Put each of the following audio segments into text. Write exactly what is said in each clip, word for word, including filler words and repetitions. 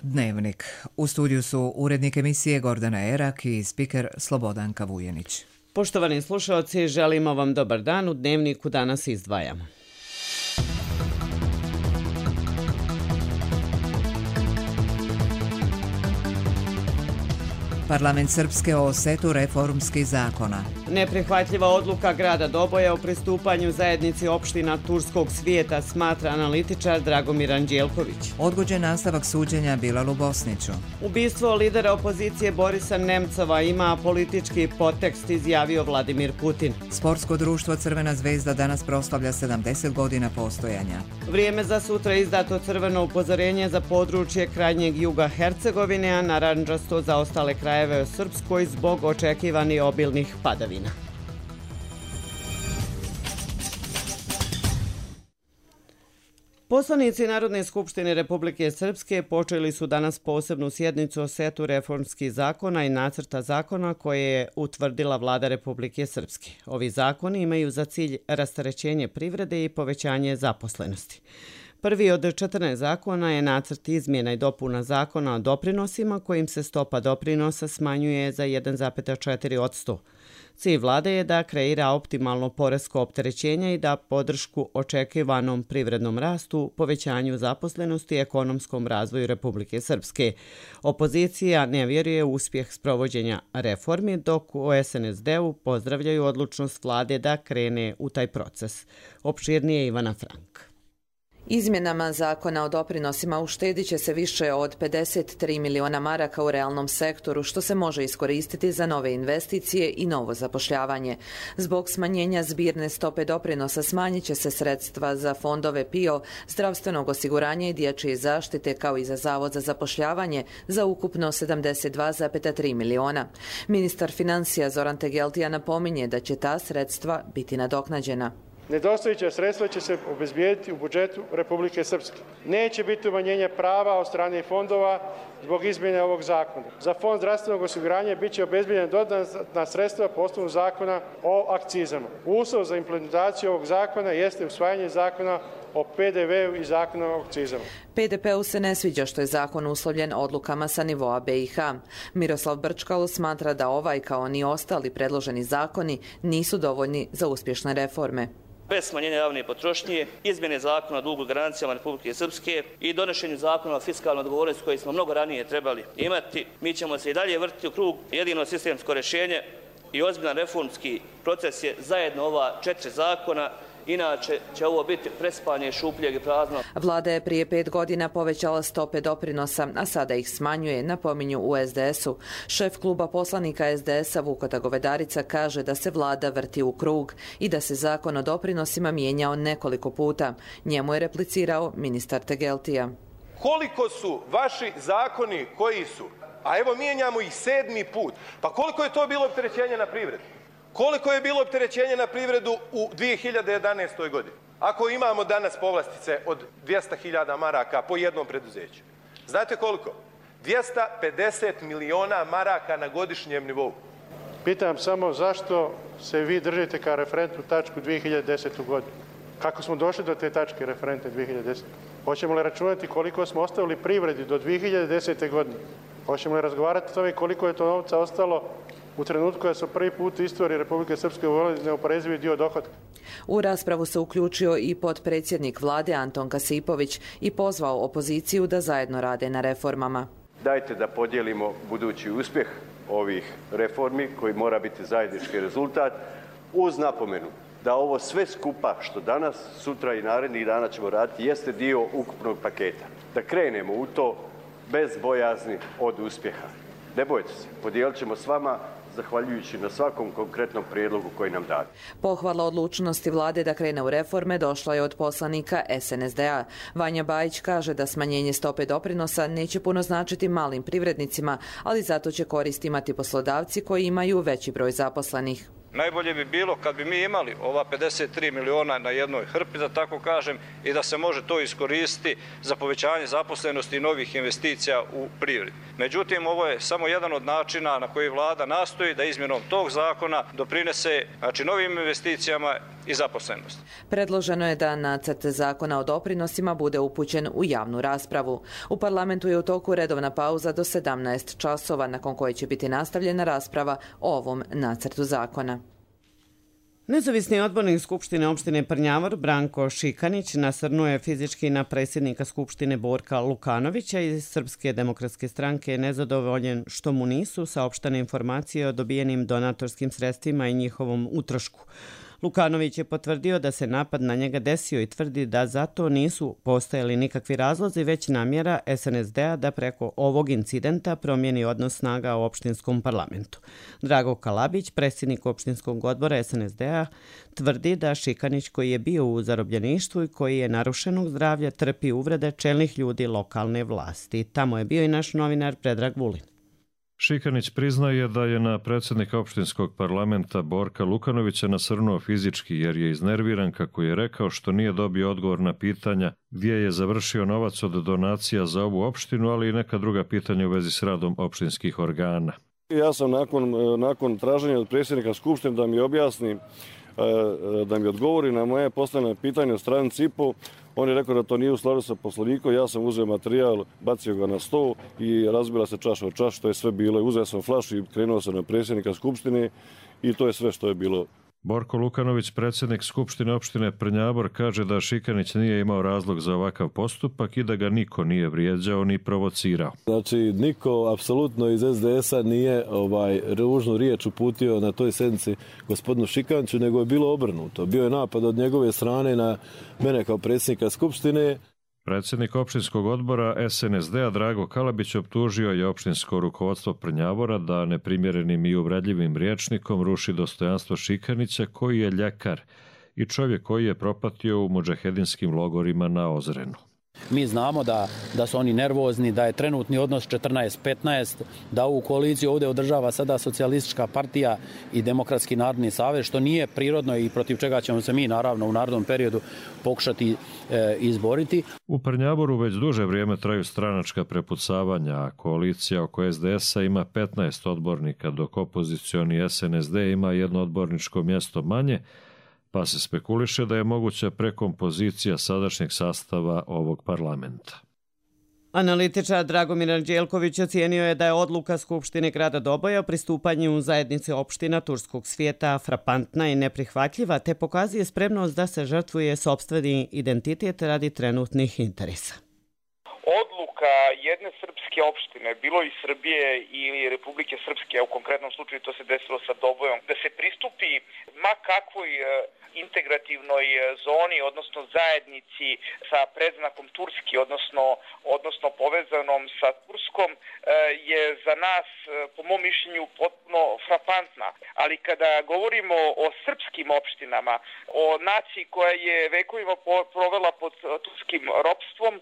Dnevnik. U studiju su urednik emisije Gordana Erak i spiker Slobodanka Vujenić. Poštovani slušalci, želimo vam dobar dan. U Dnevniku danas izdvajamo. Parlament Srpske o setu reformskih zakona. Neprihvatljiva odluka grada Doboja o pristupanju zajednici opština Turskog svijeta, smatra analitičar Dragomir Anđelković. Odgođen nastavak suđenja Bilalu Bosniću. Ubistvo lidera opozicije Borisa Nemcova ima politički podtekst, izjavio Vladimir Putin. Sportsko društvo Crvena zvezda danas proslavlja sedamdeset godina postojanja. Vrijeme za sutra izdato crveno upozorenje za područje krajnjeg juga Hercegovine, a narandžasto za ostale krajeve u Srpskoj zbog očekivanih obilnih padavina. Poslanici Narodne skupštine Republike Srpske počeli su danas posebnu sjednicu o setu reformskih zakona i nacrta zakona koje je utvrdila Vlada Republike Srpske. Ovi zakoni imaju za cilj rasterećenje privrede i povećanje zaposlenosti. Prvi od četrnaest zakona je nacrt izmjena i dopuna zakona o doprinosima kojim se stopa doprinosa smanjuje za jedan zarez četiri posto. Cilj vlade je da kreira optimalno poresko opterećenje i da podršku očekivanom privrednom rastu, povećanju zaposlenosti i ekonomskom razvoju Republike Srpske. Opozicija ne vjeruje u uspjeh sprovođenja reformi, dok u es en es de u pozdravljaju odlučnost vlade da krene u taj proces. Opširnije Ivana Frank. Izmjenama zakona o doprinosima uštedit će se više od pedeset tri miliona maraka u realnom sektoru, što se može iskoristiti za nove investicije i novo zapošljavanje. Zbog smanjenja zbirne stope doprinosa smanjit će se sredstva za fondove P I O, zdravstvenog osiguranja i dječje zaštite, kao i za Zavod za zapošljavanje, za ukupno sedamdeset dva zarez tri miliona. Ministar financija Zoran Tegeltija napominje da će ta sredstva biti nadoknađena. Nedostajuća sredstva će se obezbijediti u budžetu Republike Srpske. Neće biti umanjenja prava od strane fondova zbog izmjene ovog zakona. Za fond zdravstvenog osiguranja bit će obezbijedena dodatna sredstva po osnovu zakona o akcizama. Uslov za implementaciju ovog zakona jeste usvajanje zakona o pe de ve u i zakona o akcizama. pe de pe-u se ne sviđa što je zakon uslovljen odlukama sa nivoa be i ha. Miroslav Brčkalo smatra da ovaj, kao ni ostali predloženi zakoni, nisu dovoljni za uspješne reforme. Bez smanjenja javne potrošnje, izmjene zakona o dugu garancijama Republike Srpske i donošenju zakona o fiskalnoj odgovornosti koji smo mnogo ranije trebali imati, mi ćemo se i dalje vrtiti u krug. Jedino sistemsko rješenje i ozbiljan reformski proces je zajedno ova četiri zakona, inače će ovo biti prespanje šupljeg i prazno. Vlada je prije pet godina povećala stope doprinosa, a sada ih smanjuje, napominju u es de es-u. Šef kluba poslanika es de es-a Vukota Govedarica kaže da se vlada vrti u krug i da se zakon o doprinosima mijenjao nekoliko puta. Njemu je replicirao ministar Tegeltija. Koliko su vaši zakoni koji su, a evo mijenjamo ih sedmi put, pa koliko je to bilo opterećenje na privredu? Koliko je bilo opterećenje na privredu u dvije hiljade jedanaestoj. godini? Ako imamo danas povlastice od dvjesto hiljada maraka po jednom preduzeću. Znate koliko? dvjesto pedeset miliona maraka na godišnjem nivou. Pitam samo zašto se vi držite kao referentnu tačku dvije hiljade desete. godinu? Kako smo došli do te tačke referentne dvije hiljade desete? Hoćemo li računati koliko smo ostavili privredi do dvije hiljade desete. godine? Hoćemo li razgovarati o tome koliko je to novca ostalo u trenutku kada su prvi put u istoriji Republike Srpske uveli neoporezivi dio dohotka? U raspravu se uključio i potpredsjednik vlade Anton Kasipović i pozvao opoziciju da zajedno rade na reformama. Dajte da podijelimo budući uspjeh ovih reformi koji mora biti zajednički rezultat, uz napomenu da ovo sve skupa što danas, sutra i narednih dana ćemo raditi jeste dio ukupnog paketa. Da krenemo u to bez bojazni od uspjeha. Ne bojte se, podijelit ćemo s vama zahvaljujući na svakom konkretnom prijedlogu koji nam date. Pohvala odlučnosti vlade da krene u reforme došla je od poslanika es en es de-a. Vanja Bajić kaže da smanjenje stope doprinosa neće puno značiti malim privrednicima, ali zato će korist imati poslodavci koji imaju veći broj zaposlenih. Najbolje bi bilo kad bi mi imali ova pedeset tri miliona na jednoj hrpi, da tako kažem, i da se može to iskoristiti za povećanje zaposlenosti i novih investicija u privredi. Međutim, ovo je samo jedan od načina na koji vlada nastoji da izmjenom tog zakona doprinese, znači, novim investicijama i zaposlenosti. Predloženo je da nacrt zakona o doprinosima bude upućen u javnu raspravu. U parlamentu je u toku redovna pauza do sedamnaest časova, nakon koje će biti nastavljena rasprava o ovom nacrtu zakona. Nezavisni odbornik Skupštine opštine Prnjavor Branko Šikanić nasrnuo je fizički na predsjednika Skupštine Borka Lukanovića iz Srpske demokratske stranke, nezadovoljen što mu nisu saopštene informacije o dobijenim donatorskim sredstvima i njihovom utrošku. Lukanović je potvrdio da se napad na njega desio i tvrdi da zato nisu postojali nikakvi razlozi, već namjera S N S D-a da preko ovog incidenta promijeni odnos snaga u opštinskom parlamentu. Drago Kalabić, predsjednik opštinskog odbora S N S D-a, tvrdi da Šikanić, koji je bio u zarobljeništvu i koji je narušenog zdravlja, trpi uvrede čelnih ljudi lokalne vlasti. Tamo je bio i naš novinar Predrag Vulin. Šikanić priznaje da je na predsjednika opštinskog parlamenta Borka Lukanovića nasrnuo fizički jer je iznerviran, kako je rekao, što nije dobio odgovor na pitanja gdje je završio novac od donacija za ovu opštinu, ali i neka druga pitanja u vezi s radom opštinskih organa. Ja sam nakon, nakon traženja od predsjednika Skupštine da mi objasni, da mi odgovori na moje postavljene pitanje od strane C I P O. On je rekao da to nije u skladu sa poslovnikom, ja sam uzeo materijal, bacio ga na sto i razbila se čaša od čaša, to je sve bilo. Uzeo sam flašu i krenuo sam na predsjednika Skupštine i to je sve što je bilo. Borko Lukanović, predsjednik Skupštine opštine Prnjavor, kaže da Šikanić nije imao razlog za ovakav postupak i da ga niko nije vrijeđao ni provocirao. Znači, niko apsolutno iz S D S-a nije ovaj, ružnu riječ uputio na toj sjednici gospodinu Šikaniću, nego je bilo obrnuto. Bio je napad od njegove strane na mene kao predsjednika Skupštine. Predsjednik opštinskog odbora S N S D-a Drago Kalabić optužio je opštinsko rukovodstvo Prnjavora da neprimjerenim i uvredljivim rječnikom ruši dostojanstvo Šikanića, koji je ljekar i čovjek koji je propatio u mudžahedinskim logorima na Ozrenu. Mi znamo da, da su oni nervozni, da je trenutni odnos četrnaest petnaest, da ovu koaliciju ovdje održava sada Socijalistička partija i Demokratski narodni savez, što nije prirodno i protiv čega ćemo se mi naravno u narednom periodu pokušati e, izboriti. U Prnjavoru već duže vrijeme traju stranačka prepucavanja, a koalicija oko S D S-a ima petnaest odbornika, dok opozicioni S N S D ima jedno odborničko mjesto manje, pa se spekuliše da je moguća prekompozicija sadašnjeg sastava ovog parlamenta. Analitičar Dragomir Anđelković ocijenio je da je odluka Skupštine grada Doboja o pristupanju zajednice opština turskog svijeta frapantna i neprihvatljiva, te pokazuje spremnost da se žrtvuje sopstveni identitet radi trenutnih interesa. Odluka jedne srpske opštine, bilo i Srbije ili Republike Srpske, a u konkretnom slučaju to se desilo sa Dobojom, da se pristupi ma kakvoj integrativnoj zoni, odnosno zajednici sa predznakom Turski, odnosno, odnosno povezanom sa Turskom, je za nas, po mom mišljenju, potpuno frapantna. Ali kada govorimo o srpskim opštinama, o naciji koja je vekovima provela pod turskim ropstvom,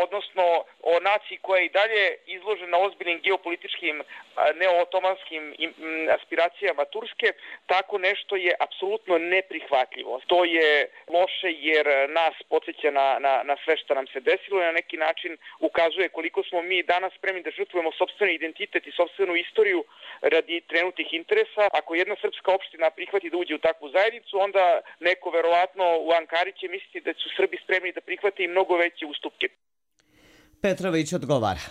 odnosno o naciji koja je i dalje izložena ozbiljnim geopolitičkim neootomanskim aspiracijama Turske, tako nešto je apsolutno neprihvatljivo. To je loše jer nas podsjeća na, na, na sve što nam se desilo i na neki način ukazuje koliko smo mi danas spremni da žrtvujemo sopstveni identitet i sopstvenu istoriju radi trenutnih interesa. Ako jedna srpska opština prihvati da uđe u takvu zajednicu, onda neko verovatno u Ankari će misliti da su Srbi spremni da prihvate i mnogo veće ustupke. Petrović odgovara.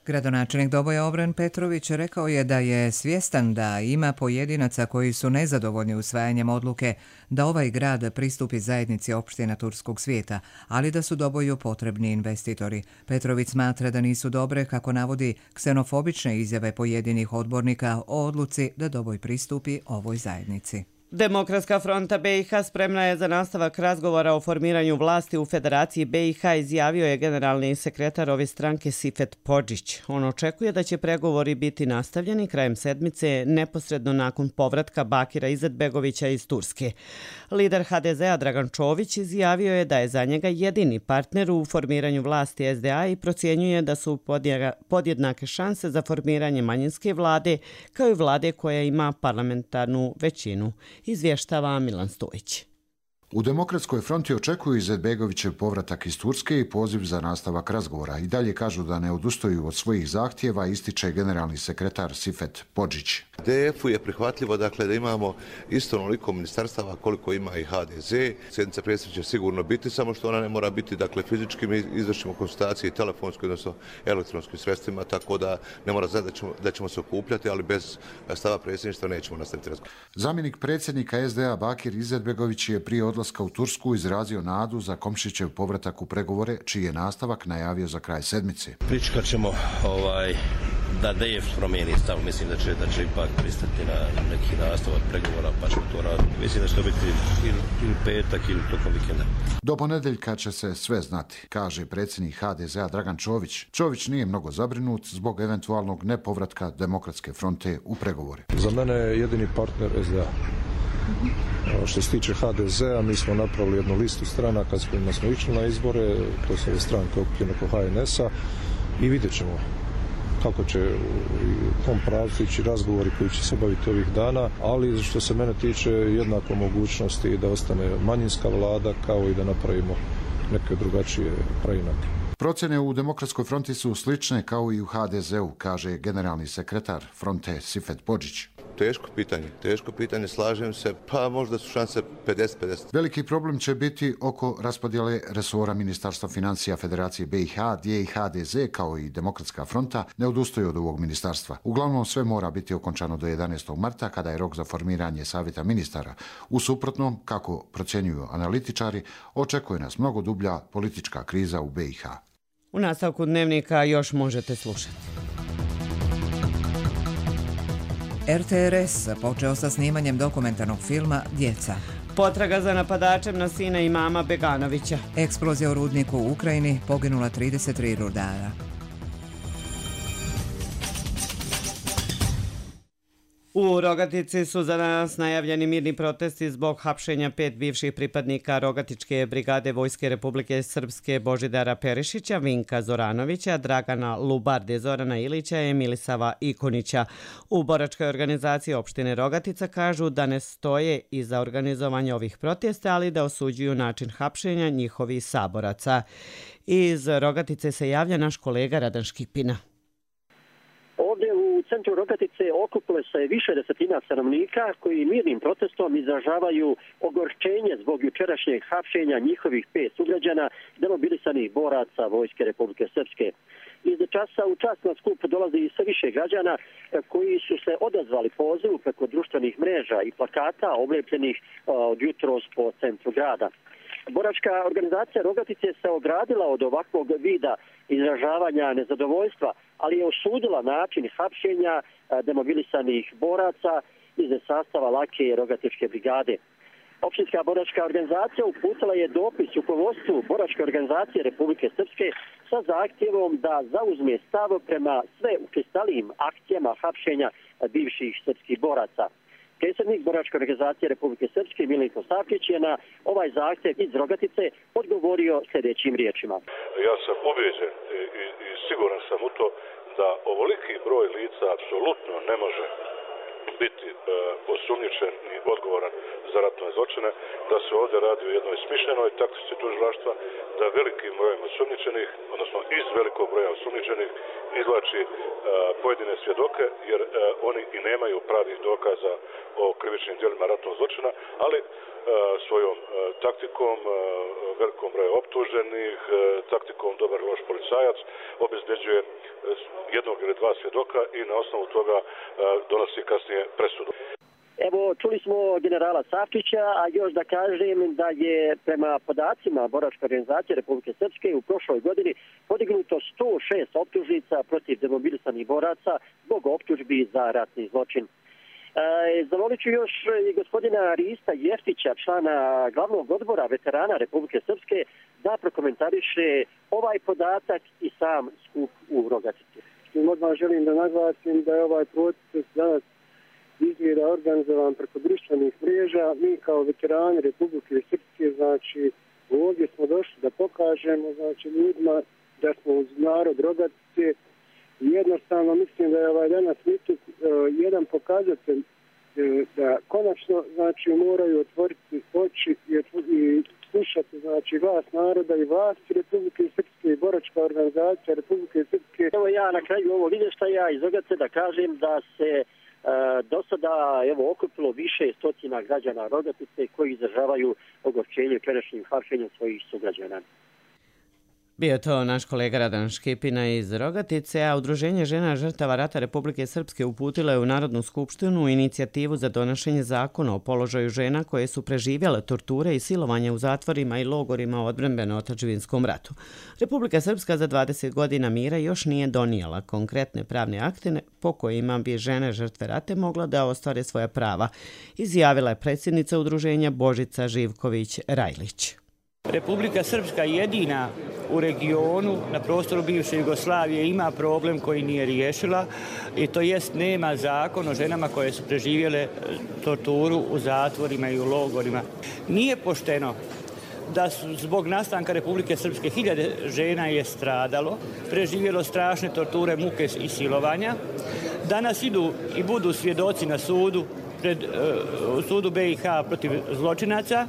Gradonačelnik Doboja Obran Petrović rekao je da je svjestan da ima pojedinaca koji su nezadovoljni usvajanjem odluke da ovaj grad pristupi zajednici opština turskog svijeta, ali da su Doboju potrebni investitori. Petrović smatra da nisu dobre, kako navodi, ksenofobične izjave pojedinih odbornika o odluci da Doboj pristupi ovoj zajednici. Demokratska fronta B i H spremna je za nastavak razgovora o formiranju vlasti u Federaciji B i H, izjavio je generalni sekretar ove stranke Sifet Podžić. On očekuje da će pregovori biti nastavljeni krajem sedmice, neposredno nakon povratka Bakira Izetbegovića iz Turske. Lider H D Z-a Dragan Čović izjavio je da je za njega jedini partner u formiranju vlasti S D A i procjenjuje da su podjednake šanse za formiranje manjinske vlade, kao i vlade koja ima parlamentarnu većinu. Izvještava Milan Stojić. U Demokratskoj fronti očekuju Izetbegovićev povratak iz Turske i poziv za nastavak razgovora. I dalje kažu da ne odustaju od svojih zahtjeva, ističe generalni sekretar Sifet Podžić. D F-u je prihvatljivo dakle, da imamo isto onoliko ministarstava koliko ima i H D Z. Sjednica predsjednice će sigurno biti, samo što ona ne mora biti dakle, fizički. Mi izvršimo konsultacije i telefonski, odnosno elektronskim sredstvima, tako da ne mora znači da ćemo, da ćemo se okupljati, ali bez stava predsjedništva nećemo nastaviti razgovor. Zamjenik predsjednika S D A Bakir Izetbegović je prije odlaska u Tursku izrazio nadu za Komšićev povratak u pregovore, čiji je nastavak najavio za kraj sedmice. Pričekat ćemo ovaj, da D F promijeni stav. Mislim da će, da će ipak pristati na neki nastavak pregovora, pa ćemo to raditi. Mislim da će to biti ili, ili petak ili tokom vikenda. Do ponedeljka će se sve znati, kaže predsjednik H D Z A Dragan Čović. Čović nije mnogo zabrinut zbog eventualnog nepovratka Demokratske fronte u pregovore. Za mene je jedini partner S D A. Što se tiče H D Z a, mi smo napravili jednu listu stranaka s kojima smo išli na izbore, to su ove stranke okupljene oko H N S a i vidjet ćemo kako će u tom pravcu ići razgovori koji će se obaviti ovih dana, ali što se mene tiče jednako mogućnosti da ostane manjinska vlada kao i da napravimo neke drugačije preinake. Procjene u Demokratskoj fronti su slične kao i u H D Z-u, kaže generalni sekretar fronte Sifet Podžić. Teško pitanje, teško pitanje, slažem se, pa možda su šanse pedeset pedeset. Veliki problem će biti oko raspodjele resora Ministarstva financija Federacije B i H, gdje i H D Z kao i Demokratska fronta ne odustaju od ovog ministarstva. Uglavnom sve mora biti okončano do jedanaestog marta, kada je rok za formiranje savjeta ministara. U suprotnom, kako procjenjuju analitičari, očekuje nas mnogo dublja politička kriza u B i H. U nastavku Dnevnika još možete slušati. R T R S počeo sa snimanjem dokumentarnog filma Djeca. Potraga za napadačem na sina imama Beganovića. Eksplozija u rudniku u Ukrajini, poginula trideset tri rudara. U Rogatici su za danas najavljeni mirni protesti zbog hapšenja pet bivših pripadnika Rogatičke brigade Vojske Republike Srpske Božidara Perišića, Vinka Zoranovića, Dragana Lubarde, Zorana Ilića i Milisava Ikonića. U boračkoj organizaciji opštine Rogatica kažu da ne stoje iza organizovanja ovih protesta, ali da osuđuju način hapšenja njihovih saboraca. Iz Rogatice se javlja naš kolega Radan Škipina. Ovdje u centru Rogatice okupilo se više desetina stanovnika koji mirnim protestom izražavaju ogorčenje zbog jučerašnjeg hapšenja njihovih pet sugrađana demobilisanih boraca Vojske Republike Srpske. Iz časa u čas na skup dolazi i sve više građana koji su se odazvali pozivu preko društvenih mreža i plakata oblepljenih od jutros po centru grada. Boračka organizacija Rogatice se ogradila od ovakvog vida izražavanja nezadovoljstva, ali je osudila način hapšenja demobilisanih boraca iz sastava lake Rogatičke brigade. Opštinska boračka organizacija uputila je dopis rukovodstvu Boračke organizacije Republike Srpske sa zahtjevom da zauzme stav prema sve učestalijim akcijama hapšenja bivših srpskih boraca. Predsjednik Boračke organizacije Republike Srpske Milenko Savkić je na ovaj zahtjev iz Rogatice odgovorio sljedećim riječima. Ja sam ubeđen i, i, i siguran sam u to da ovoliki broj lica apsolutno ne može biti e, osumnjičen i odgovoran za ratne zločine, da se ovdje radi o jednoj smišljenoj taktici tužilaštva, da velikim brojem osumnjičenih, odnosno iz velikog broja osumnjičenih, izvlači e, pojedine svjedoke, jer e, oni i nemaju pravih dokaza o krivičnim djelima ratnog zločina, ali e, svojom e, taktikom, e, velikom broju optuženih, e, taktikom dobar loš policajac, obezbeđuje e, jednog ili dva svjedoka i na osnovu toga e, donosi kasnije presudu. Evo, čuli smo generala Savkića, a još da kažem da je prema podacima Boračke organizacije Republike Srpske u prošloj godini podignuto sto šest optužnica protiv demobilisanih boraca zbog optužbi za ratni zločin. E, Zamolit ću još i gospodina Rista Jeftića, člana glavnog odbora veterana Republike Srpske, da prokomentariše ovaj podatak i sam skup u Rogatici. Odmah želim da naglasim da je ovaj proces danas izgleda organizovan preko društvenih mreža. Mi kao veterani Republike Srpske, znači, ovdje smo došli da pokažemo, znači, ljudima da smo uz narod Rogatice. Jednostavno mislim da je ovaj danas miting uh, jedan pokazatelj da konačno znači moraju otvoriti oči i, i slušati znači glas naroda i vlasti Republike Srpske i boračka organizacija Republike Srpske. Evo ja na kraju ovog izvještaja iz Rogatice da kažem da se e, do sada evo okupilo više stotina građana Rogatice koji izražavaju ogorčenje jučerašnjim hapšenjem svojih sugrađana. Bio to naš kolega Radan Škipina iz Rogatice, a Udruženje žena žrtava rata Republike Srpske uputilo je u Narodnu skupštinu inicijativu za donošenje zakona o položaju žena koje su preživjele torture i silovanje u zatvorima i logorima u odbrambeno-otadžbinskom ratu. Republika Srpska za dvadeset godina mira još nije donijela konkretne pravne akte po kojima bi žene žrtve rate mogla da ostvare svoja prava, izjavila je predsjednica udruženja Božica Živković-Rajlić. Republika Srpska jedina u regionu na prostoru bivše Jugoslavije ima problem koji nije riješila i to jest nema zakon o ženama koje su preživjele torturu u zatvorima i u logorima. Nije pošteno da su zbog nastanka Republike Srpske hiljade žena je stradalo, preživjelo strašne torture, muke i silovanja. Danas idu i budu svjedoci na sudu pred uh, sudu be i ha protiv zločinaca,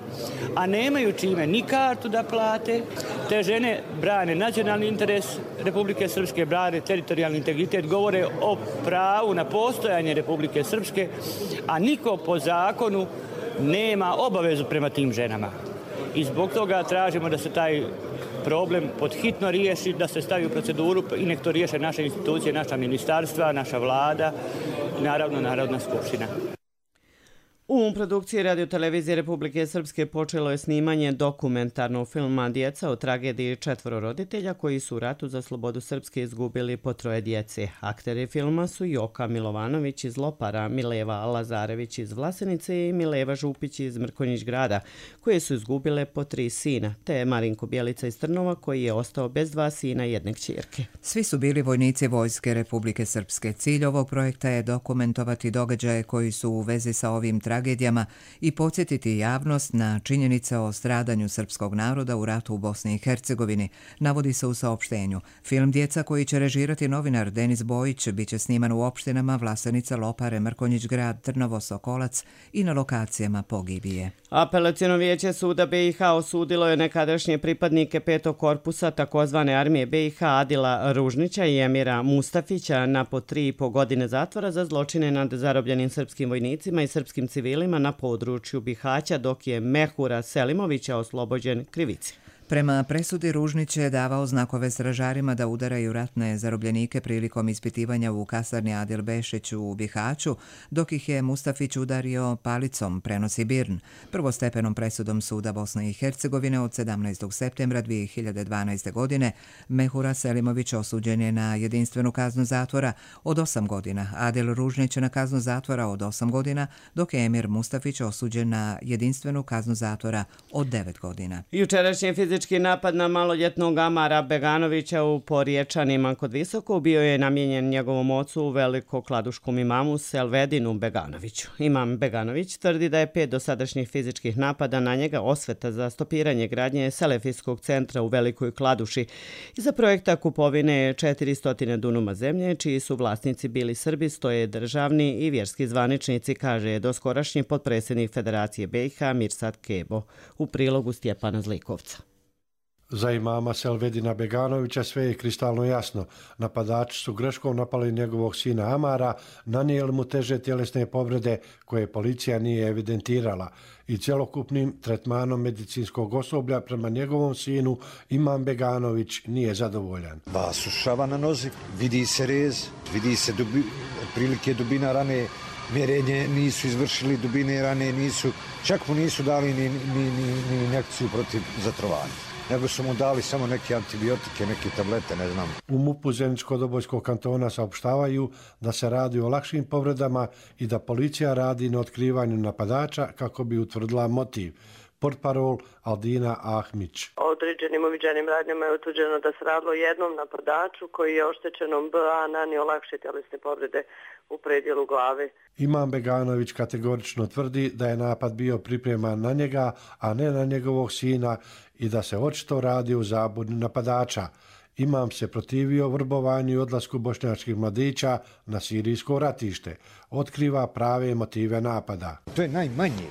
a nemaju čime ni kartu da plate. Te žene brane nacionalni interes Republike Srpske, brane teritorijalni integritet, govore o pravu na postojanje Republike Srpske, a niko po zakonu nema obavezu prema tim ženama. I zbog toga tražimo da se taj problem podhitno riješi, da se stavi u proceduru i nek to riješe naše institucije, naša ministarstva, naša vlada i naravno Narodna skupština. U produkciji Radio-televizije Republike Srpske počelo je snimanje dokumentarnog filma Djeca o tragediji četvoro roditelja koji su u ratu za slobodu Srpske izgubili po troje djece. Akteri filma su Joka Milovanović iz Lopara, Mileva Lazarević iz Vlasenice i Mileva Župić iz Mrkonjić grada, koje su izgubile po tri sina, te Marinko Bjelica iz Trnova koji je ostao bez dva sina i jedne kćerke. Svi su bili vojnici Vojske Republike Srpske. Cilj ovog projekta je dokumentovati događaje koji su u vezi sa ovim tragedijama i podsjetiti javnost na činjenice o stradanju srpskog naroda u ratu u Bosni i Hercegovini, navodi se u saopštenju. Film Djeca koji će režirati novinar Denis Bojić biće sniman u opštinama Vlasenica, Lopare, Mrkonjić grad, Trnovo, Sokolac i na lokacijama pogibije. Apelaciono vijeće suda be i ha osudilo je nekadašnje pripadnike petog korpusa takozvane armije be i ha Adila Ružnića i Emira Mustafića na po tri i po godine zatvora za zločine nad zarobljenim srpskim vojnicima i srpskim civilima na području Bihaća, dok je Mehura Selimovića oslobođen krivice. Prema presudi Ružnić je davao znakove stražarima da udaraju ratne zarobljenike prilikom ispitivanja u kasarni Adil Bešić u Bihaću, dok ih je Mustafić udario palicom, prenosi Birn. Prvostepenom presudom suda Bosne i Hercegovine od sedamnaestog septembra dvije hiljade dvanaeste. godine Mehura Selimović osuđen je na jedinstvenu kaznu zatvora od osam godina, Adil Ružnić na kaznu zatvora od osam godina, dok je Emir Mustafić osuđen na jedinstvenu kaznu zatvora od devet godina. Jučerašnji fizički napad na maloljetnog Amara Beganovića u Porječanima kod Visoko bio je namijenjen njegovom ocu velikokladuškom imamu Selvedinu Beganoviću. Imam Beganović tvrdi da je pet dosadašnjih fizičkih napada na njega osveta za stopiranje gradnje Selefijskog centra u Velikoj Kladuši iza projekta kupovine četiristo dunuma zemlje, čiji su vlasnici bili Srbi, stoje državni i vjerski zvaničnici, kaže doskorašnji potpredsjednik Federacije be i ha Mirsad Kebo u prilogu Stjepana Zlikovca. Za imama Selvedina Beganovića sve je kristalno jasno. Napadači su greškom napali njegovog sina Amara, nanijeli mu teže tjelesne povrede koje policija nije evidentirala i cjelokupnim tretmanom medicinskog osoblja prema njegovom sinu imam Beganović nije zadovoljan. Dva su šava na nozi, vidi se rez, vidi se dubi, prilike dubina rane, mjerenje nisu izvršili, dubine rane nisu, čak mu nisu dali ni, ni, ni, ni injekciju protiv zatrovanja, nego su mu dali samo neke antibiotike, neke tablete, ne znam. U MUP-u Zeničko-Dobojskog kantona saopštavaju da se radi o lakšim povredama i da policija radi na otkrivanju napadača kako bi utvrdila motiv. Portparol Aldina Ahmić. Određenim uviđenim radnjama je utvrđeno da se radilo jednom napadaču koji je oštećenom B A nanio lakše tjelesne povrede u predjelu glave. Imam Beganović kategorično tvrdi da je napad bio pripreman na njega, a ne na njegovog sina i da se očito radi u zabuni napadača. Imam se protivio vrbovanju i odlasku bošnjačkih mladića na sirijsko ratište. Otkriva prave motive napada. To je najmanje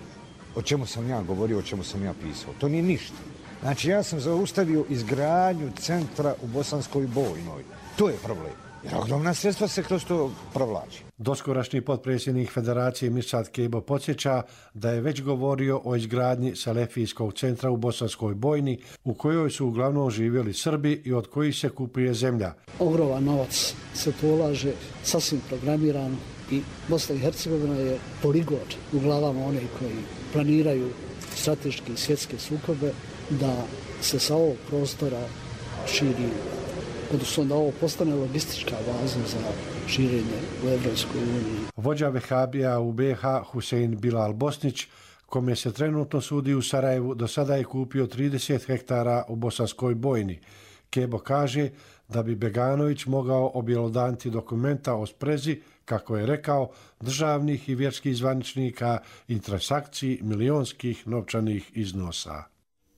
o čemu sam ja govorio, o čemu sam ja pisao. To nije ništa. Znači ja sam zaustavio izgradnju centra u Bosanskoj Bojnoj. To je problem. Jer ogromna sredstva se kroz to provlači. Doskorašnji potpredsjednik Federacije Mirsad Kebo podsjeća da je već govorio o izgradnji Selefijskog centra u Bosanskoj Bojni, u kojoj su uglavnom živjeli Srbi i od kojih se kupuje zemlja. Ogroman novac se polaže, sasvim programirano, i Bosna i Hercegovina je poligon u glavama onih koji planiraju strateške i svjetske sukobe, da se sa ovog prostora širi, odnosno da ovo postane logistička baza za širenje u Evropskoj uniji. Vođa Vehabija u B iH Husein Bilal Bosnić, kome se trenutno sudi u Sarajevu, do sada je kupio trideset hektara u Bosanskoj Bojni. Kebo kaže da bi Beganović mogao objelodaniti dokumenta o sprezi, kako je rekao, državnih i vjerskih zvaničnika i transakciji milionskih novčanih iznosa.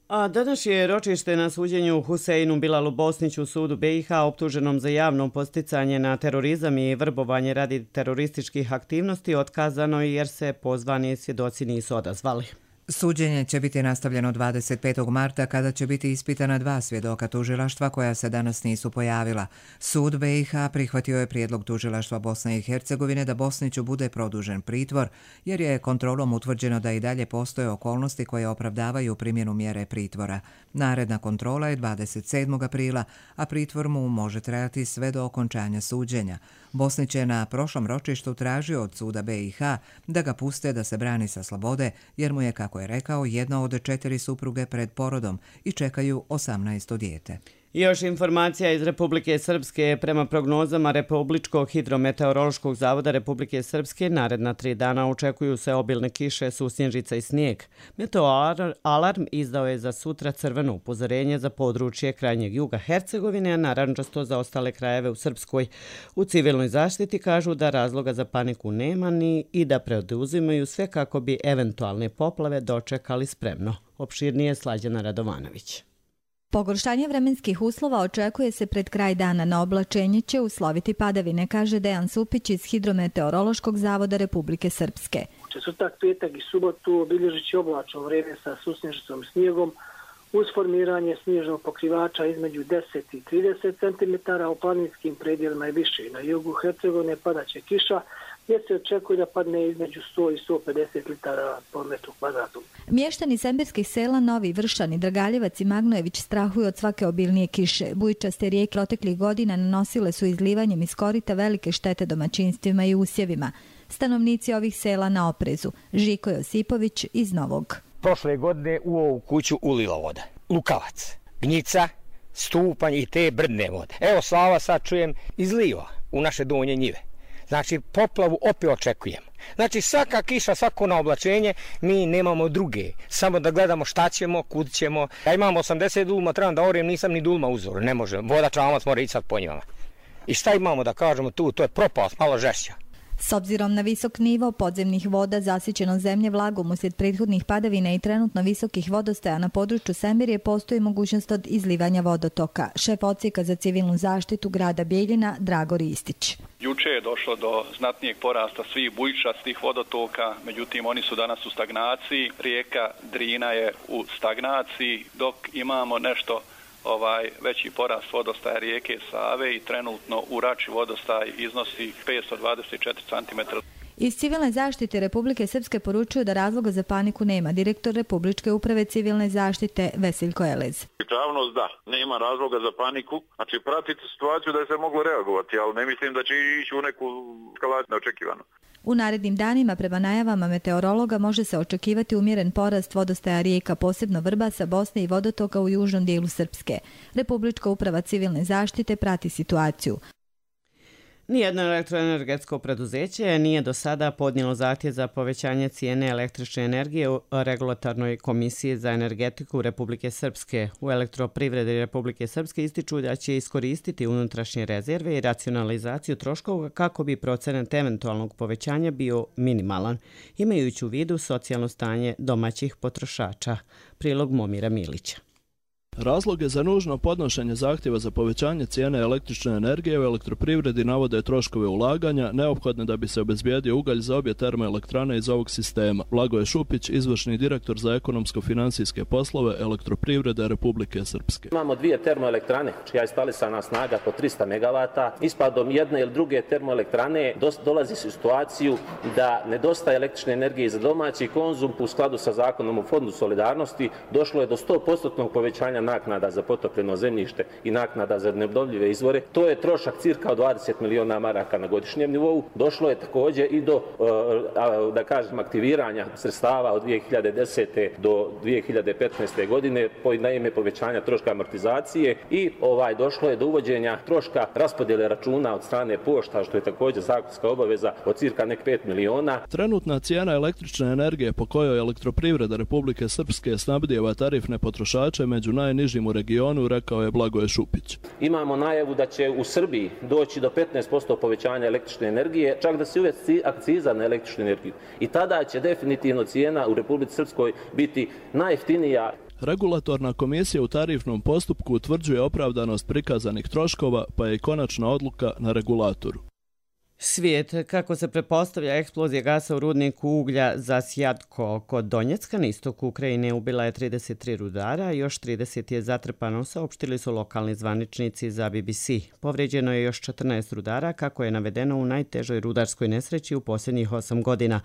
A danas je ročište na suđenju Huseinu Bilalu Bosniću u sudu B iH optuženom za javno posticanje na terorizam i vrbovanje radi terorističkih aktivnosti otkazano jer se pozvani svjedoci nisu odazvali. Suđenje će biti nastavljeno dvadeset petog marta kada će biti ispitana dva svjedoka tužilaštva koja se danas nisu pojavila. Sud B iH prihvatio je prijedlog tužilaštva Bosne i Hercegovine da Bosniću bude produžen pritvor jer je kontrolom utvrđeno da i dalje postoje okolnosti koje opravdavaju primjenu mjere pritvora. Naredna kontrola je dvadeset sedmog aprila, a pritvor mu može trajati sve do okončanja suđenja. Bosnić je na prošlom ročištu tražio od suda B iH da ga puste da se brani sa slobode jer mu je, kako je rekao, jedna od četiri supruge pred porodom i čekaju osamnaesto dijete. Još informacija iz Republike Srpske. Prema prognozama Republičkog hidrometeorološkog zavoda Republike Srpske, naredna tri dana očekuju se obilne kiše, susnježica i snijeg. Meteoalarm izdao je za sutra crveno upozorenje za područje krajnjeg juga Hercegovine, a narančasto za ostale krajeve u Srpskoj. U civilnoj zaštiti kažu da razloga za paniku nema ni i da preduzimaju sve kako bi eventualne poplave dočekali spremno. Opširnije Slađana Radovanović. Pogoršanje vremenskih uslova očekuje se pred kraj dana. Na oblačenje će usloviti padavine, kaže Dejan Supić iz Hidrometeorološkog zavoda Republike Srpske. Četvrtak, petak i subotu obilježit će oblačno vrijeme sa susnježicom snijegom uz formiranje snježnog pokrivača između deset i trideset centimetara, u planinskim predjelima i više. Na jugu Hercegovine padaće kiša, gdje se očekuje da padne između sto i sto pedeset litara po metru kvadratnom. Mještani sembirskih sela Novi Vršan i Dragaljevac i Magnojević strahuju od svake obilnije kiše. Bujičaste rijeke proteklih godina nanosile su izlivanjem iz korita velike štete domaćinstvima i usjevima. Stanovnici ovih sela na oprezu. Žiko Josipović iz Novog. Prošle godine u ovu kuću ulila voda. Lukavac, Gnjica, Stupanj i te brdne vode. Evo Slava sad čujem izliva u naše donje njive. Znači, poplavu opet očekujemo. Znači, svaka kiša, svako na oblačenje, mi nemamo druge. Samo da gledamo šta ćemo, kud ćemo. Ja imam osamdeset dulma, trebam da orem, nisam ni dulma uzor. Ne može, voda čamac mora ići sad po njima. I šta imamo da kažemo tu, to je propast, malo žešća. S obzirom na visok nivo podzemnih voda, zasićeno zemlje vlagom uslijed prethodnih padavina i trenutno visokih vodostaja na području Sembirije, postoji mogućnost od izlivanja vodotoka. Šef odsjeka za civilnu zaštitu grada Bijeljina, Drago Ristić. Juče je došlo do znatnijeg porasta svih bujičastih vodotoka, međutim oni su danas u stagnaciji. Rijeka Drina je u stagnaciji, dok imamo nešto ovaj veći porast vodostaja rijeke Save i trenutno u Rači vodostaj iznosi petsto dvadeset četiri centimetra. Iz civilne zaštite Republike Srpske poručuju da razloga za paniku nema. Direktor Republičke uprave civilne zaštite Veseljko Elez. Javnost da, nema razloga za paniku. Znači pratiti situaciju da je se moglo reagovati, ali ne mislim da će ići u neku eskalaciju neočekivano. U narednim danima, prema najavama meteorologa, može se očekivati umjeren porast vodostaja rijeka, posebno Vrbasa, Bosne i vodotoka u južnom dijelu Srpske. Republička uprava civilne zaštite prati situaciju. Nijedno elektroenergetsko preduzeće nije do sada podnijelo zahtjev za povećanje cijene električne energije u Regulatornoj komisiji za energetiku Republike Srpske. U Elektroprivredi Republike Srpske ističu da će iskoristiti unutrašnje rezerve i racionalizaciju troškova kako bi procenat eventualnog povećanja bio minimalan, imajući u vidu socijalno stanje domaćih potrošača. Prilog Momira Milića. Razloge za nužno podnošenje zahtjeva za povećanje cijene električne energije u elektroprivredi navode troškove ulaganja neophodne da bi se obezbijedio ugalj za obje termoelektrane iz ovog sistema. Blagoje Šupić, izvršni direktor za ekonomsko-financijske poslove Elektroprivrede Republike Srpske. Imamo dvije termoelektrane čija je instalisana snaga po trista megavata. Ispadom jedne ili druge termoelektrane dolazi se u situaciju da nedostaje električne energije za domaći konzum. U skladu sa zakonom o Fondu solidarnosti došlo je do sto posto povećanja naknada za potopljeno zemljište i naknada za neobnovljive izvore. To je trošak cirka od dvadeset miliona maraka na godišnjem nivou. Došlo je također i do, da kažem, aktiviranja sredstava od dvije hiljade desete do dvije hiljade petnaeste godine na ime povećanja troška amortizacije i ovaj došlo je do uvođenja troška raspodjele računa od strane pošta, što je također zakonska obaveza od cirka nek pet miliona. Trenutna cijena električne energije po kojoj Elektroprivreda Republike Srpske snabdijeva tarifne potrošače među najnižim u regionu, rekao je Blagoje Šupić. Imamo najavu da će u Srbiji doći do petnaest posto povećanja električne energije, čak da se uvesti akciza na električnu energiju. I tada će definitivno cijena u Republici Srpskoj biti najjeftinija. Regulatorna komisija u tarifnom postupku utvrđuje opravdanost prikazanih troškova, pa je i konačna odluka na regulatoru. Svijet, kako se pretpostavlja, eksplozija gasa u rudniku uglja za Sjadko kod Donjecka na istoku Ukrajine ubila je trideset tri rudara, još trideset je zatrpano, saopštili su lokalni zvaničnici za B B C. Povređeno je još četrnaest rudara, kako je navedeno u najtežoj rudarskoj nesreći u posljednjih osam godina.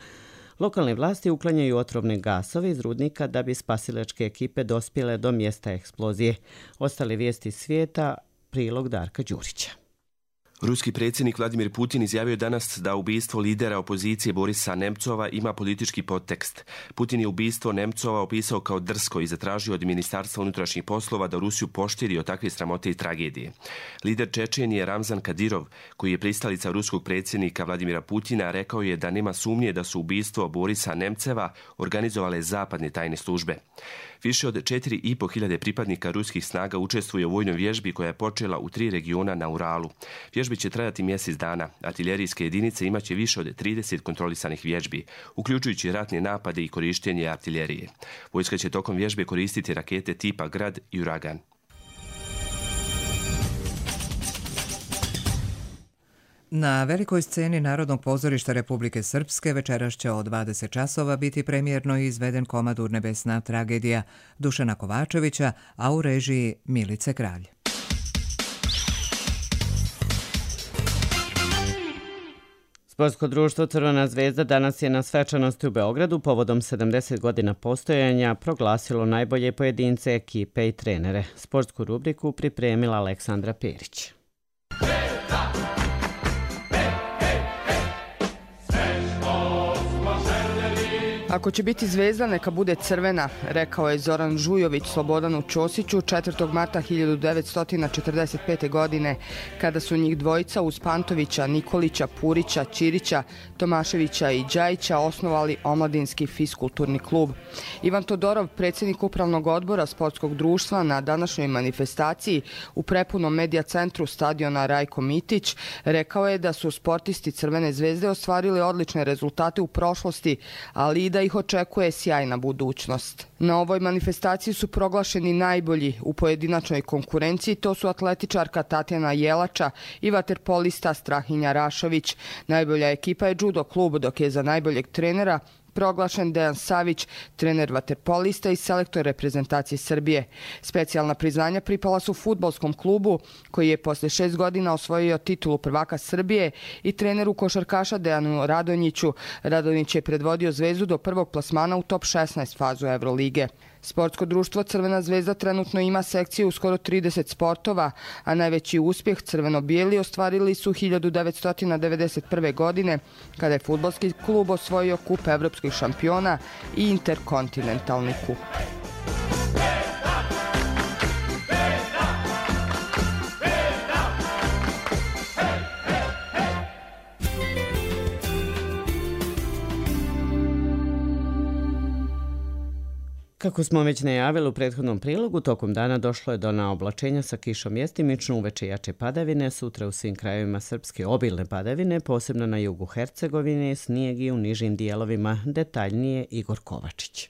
Lokalne vlasti uklanjaju otrovne gasove iz rudnika da bi spasilačke ekipe dospjele do mjesta eksplozije. Ostale vijesti svijeta, prilog Darka Đurića. Ruski predsjednik Vladimir Putin izjavio danas da ubistvo lidera opozicije Borisa Nemcova ima politički podtekst. Putin je ubistvo Nemcova opisao kao drsko i zatražio od Ministarstva unutrašnjih poslova da Rusiju poštiri od takve sramote i tragedije. Lider Čečenije Ramzan Kadirov, koji je pristalica ruskog predsjednika Vladimira Putina, rekao je da nema sumnje da su ubistvo Borisa Nemceva organizovale zapadne tajne službe. Više od četiri i po hiljade pripadnika ruskih snaga učestvuje u vojnoj vježbi koja je počela u tri regiona na Uralu. Vježbi će trajati mjesec dana. Artiljerijske jedinice imaće više od trideset kontrolisanih vježbi, uključujući ratne napade i korištenje artiljerije. Vojska će tokom vježbe koristiti rakete tipa Grad i Uragan. Na velikoj sceni Narodnog pozorišta Republike Srpske večeras će od dvadeset časova biti premijerno izveden komad Urnebesna tragedija Dušana Kovačevića, a u režiji Milice Kralj. Sportsko društvo Crvena zvezda danas je na svečanosti u Beogradu povodom sedamdeset godina postojanja proglasilo najbolje pojedince, ekipe i trenere. Sportsku rubriku pripremila Aleksandra Perić. Ako će biti zvezda, neka bude crvena, rekao je Zoran Žujović Slobodanu Ćosiću četvrtog marta hiljadu devetsto četrdeset pete. godine, kada su njih dvojica uz Pantovića, Nikolića, Purića, Ćirića, Tomaševića i Đajića osnovali omladinski fiskulturni klub. Ivan Todorov, predsjednik upravnog odbora sportskog društva, na današnjoj manifestaciji u prepunom medija centru stadiona Rajko Mitić, rekao je da su sportisti Crvene zvezde ostvarili odlične rezultate u prošlosti, ali i da ih očekuje sjajna budućnost. Na ovoj manifestaciji su proglašeni najbolji u pojedinačnoj konkurenciji, to su atletičarka Tatjana Jelača i vaterpolista Strahinja Rašović. Najbolja ekipa je judo klub, dok je za najboljeg trenera proglašen Dejan Savić, trener vaterpolista i selektor reprezentacije Srbije. Specijalna priznanja pripala su fudbalskom klubu, koji je posle šest godina osvojio titulu prvaka Srbije, i treneru košarkaša Dejanu Radonjiću. Radonjić je predvodio Zvezdu do prvog plasmana u top šesnaest fazu Evrolige. Sportsko društvo Crvena zvezda trenutno ima sekciju u skoro trideset sportova, a najveći uspjeh crveno-bijeli ostvarili su hiljadu devetsto devedeset prve. godine, kada je fudbalski klub osvojio kup evropskih šampiona i interkontinentalni kup. Kako smo već najavili u prethodnom prilogu, tokom dana došlo je do naoblačenja sa kišom mjestimično, uveče jače padavine, sutra u svim krajevima Srpske obilne padavine, posebno na jugu Hercegovine, snijeg i u nižim dijelovima. Detaljnije Igor Kovačić.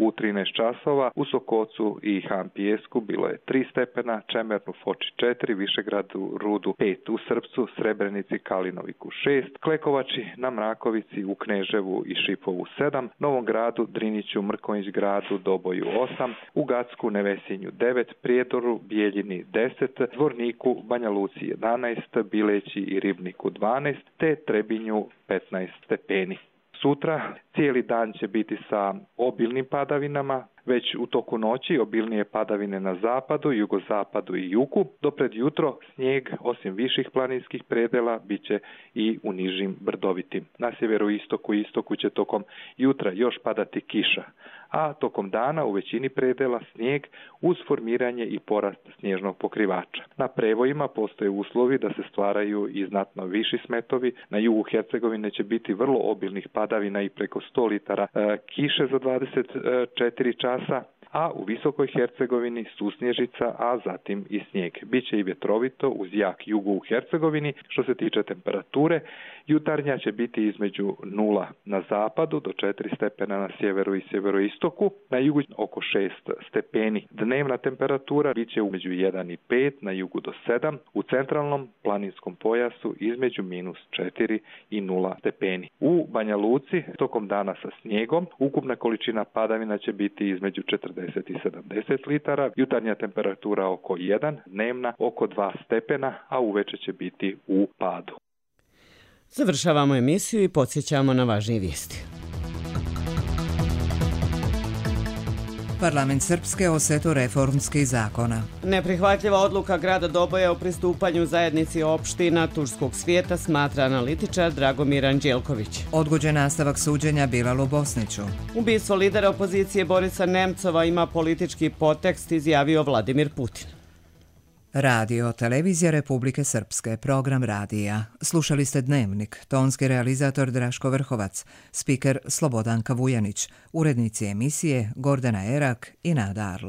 U trinaest časova u Sokocu i Han Pijesku bilo je tri stepena, Čemernu, Foči četiri, Višegradu, Rudu pet, u Srpcu, Srebrenici, Kalinoviku šest, Klekovači, na Mrakovici, u Kneževu i Šipovu sedam, Novom Gradu, Driniću, Mrkonjić Gradu, Doboju osam, u Gacku, Nevesinju devet, Prijedoru, Bijeljini deset, Zvorniku, Banja Luci jedanaest, Bileći i Ribniku dvanaest, te Trebinju petnaest stepeni. Sutra cijeli dan će biti sa obilnim padavinama, već u toku noći obilnije padavine na zapadu, jugozapadu i jugu. Do pred jutro snijeg, osim viših planinskih predela, bit će i u nižim brdovitim. Na sjeveroistoku i istoku će tokom jutra još padati kiša, a tokom dana u većini predela snijeg uz formiranje i porast snježnog pokrivača. Na prevojima postoje uslovi da se stvaraju i znatno viši smetovi. Na jugu Hercegovine će biti vrlo obilnih padavina i preko sto litara e, kiše za dvadeset četiri časa, a u Visokoj Hercegovini susnježica, a zatim i snijeg. Biće i vjetrovito uz jak jugu u Hercegovini. Što se tiče temperature, jutarnja će biti između nula na zapadu do četiri stepena na sjeveru i sjeveroistoku, na jugu oko šest stepeni. Dnevna temperatura biće između jedan i pet, na jugu do sedam, u centralnom planinskom pojasu između minus četiri i nula stepeni. U Banja Luci tokom dana sa snijegom ukupna količina padavina će biti između četrdeset i sedamdeset litara, jutarnja temperatura oko jedan, dnevna oko dva stepena, a uveče će biti u padu. Završavamo emisiju i podsjećamo na važnije vijesti. Parlament Srpske o setu reformskih zakona. Neprihvatljiva odluka grada Doboja o pristupanju zajednici opština turskog svijeta, smatra analitičar Dragomir Anđelković. Odgođen nastavak suđenja Bilalu Bosniću. Ubistvo lidera opozicije Borisa Nemcova ima politički podtekst, izjavio Vladimir Putin. Radio, televizija Republike Srpske, program radija. Slušali ste Dnevnik, tonski realizator Draško Vrhovac, spiker Slobodanka Vujanić, urednici emisije Gordana Erak i Nada Arlo.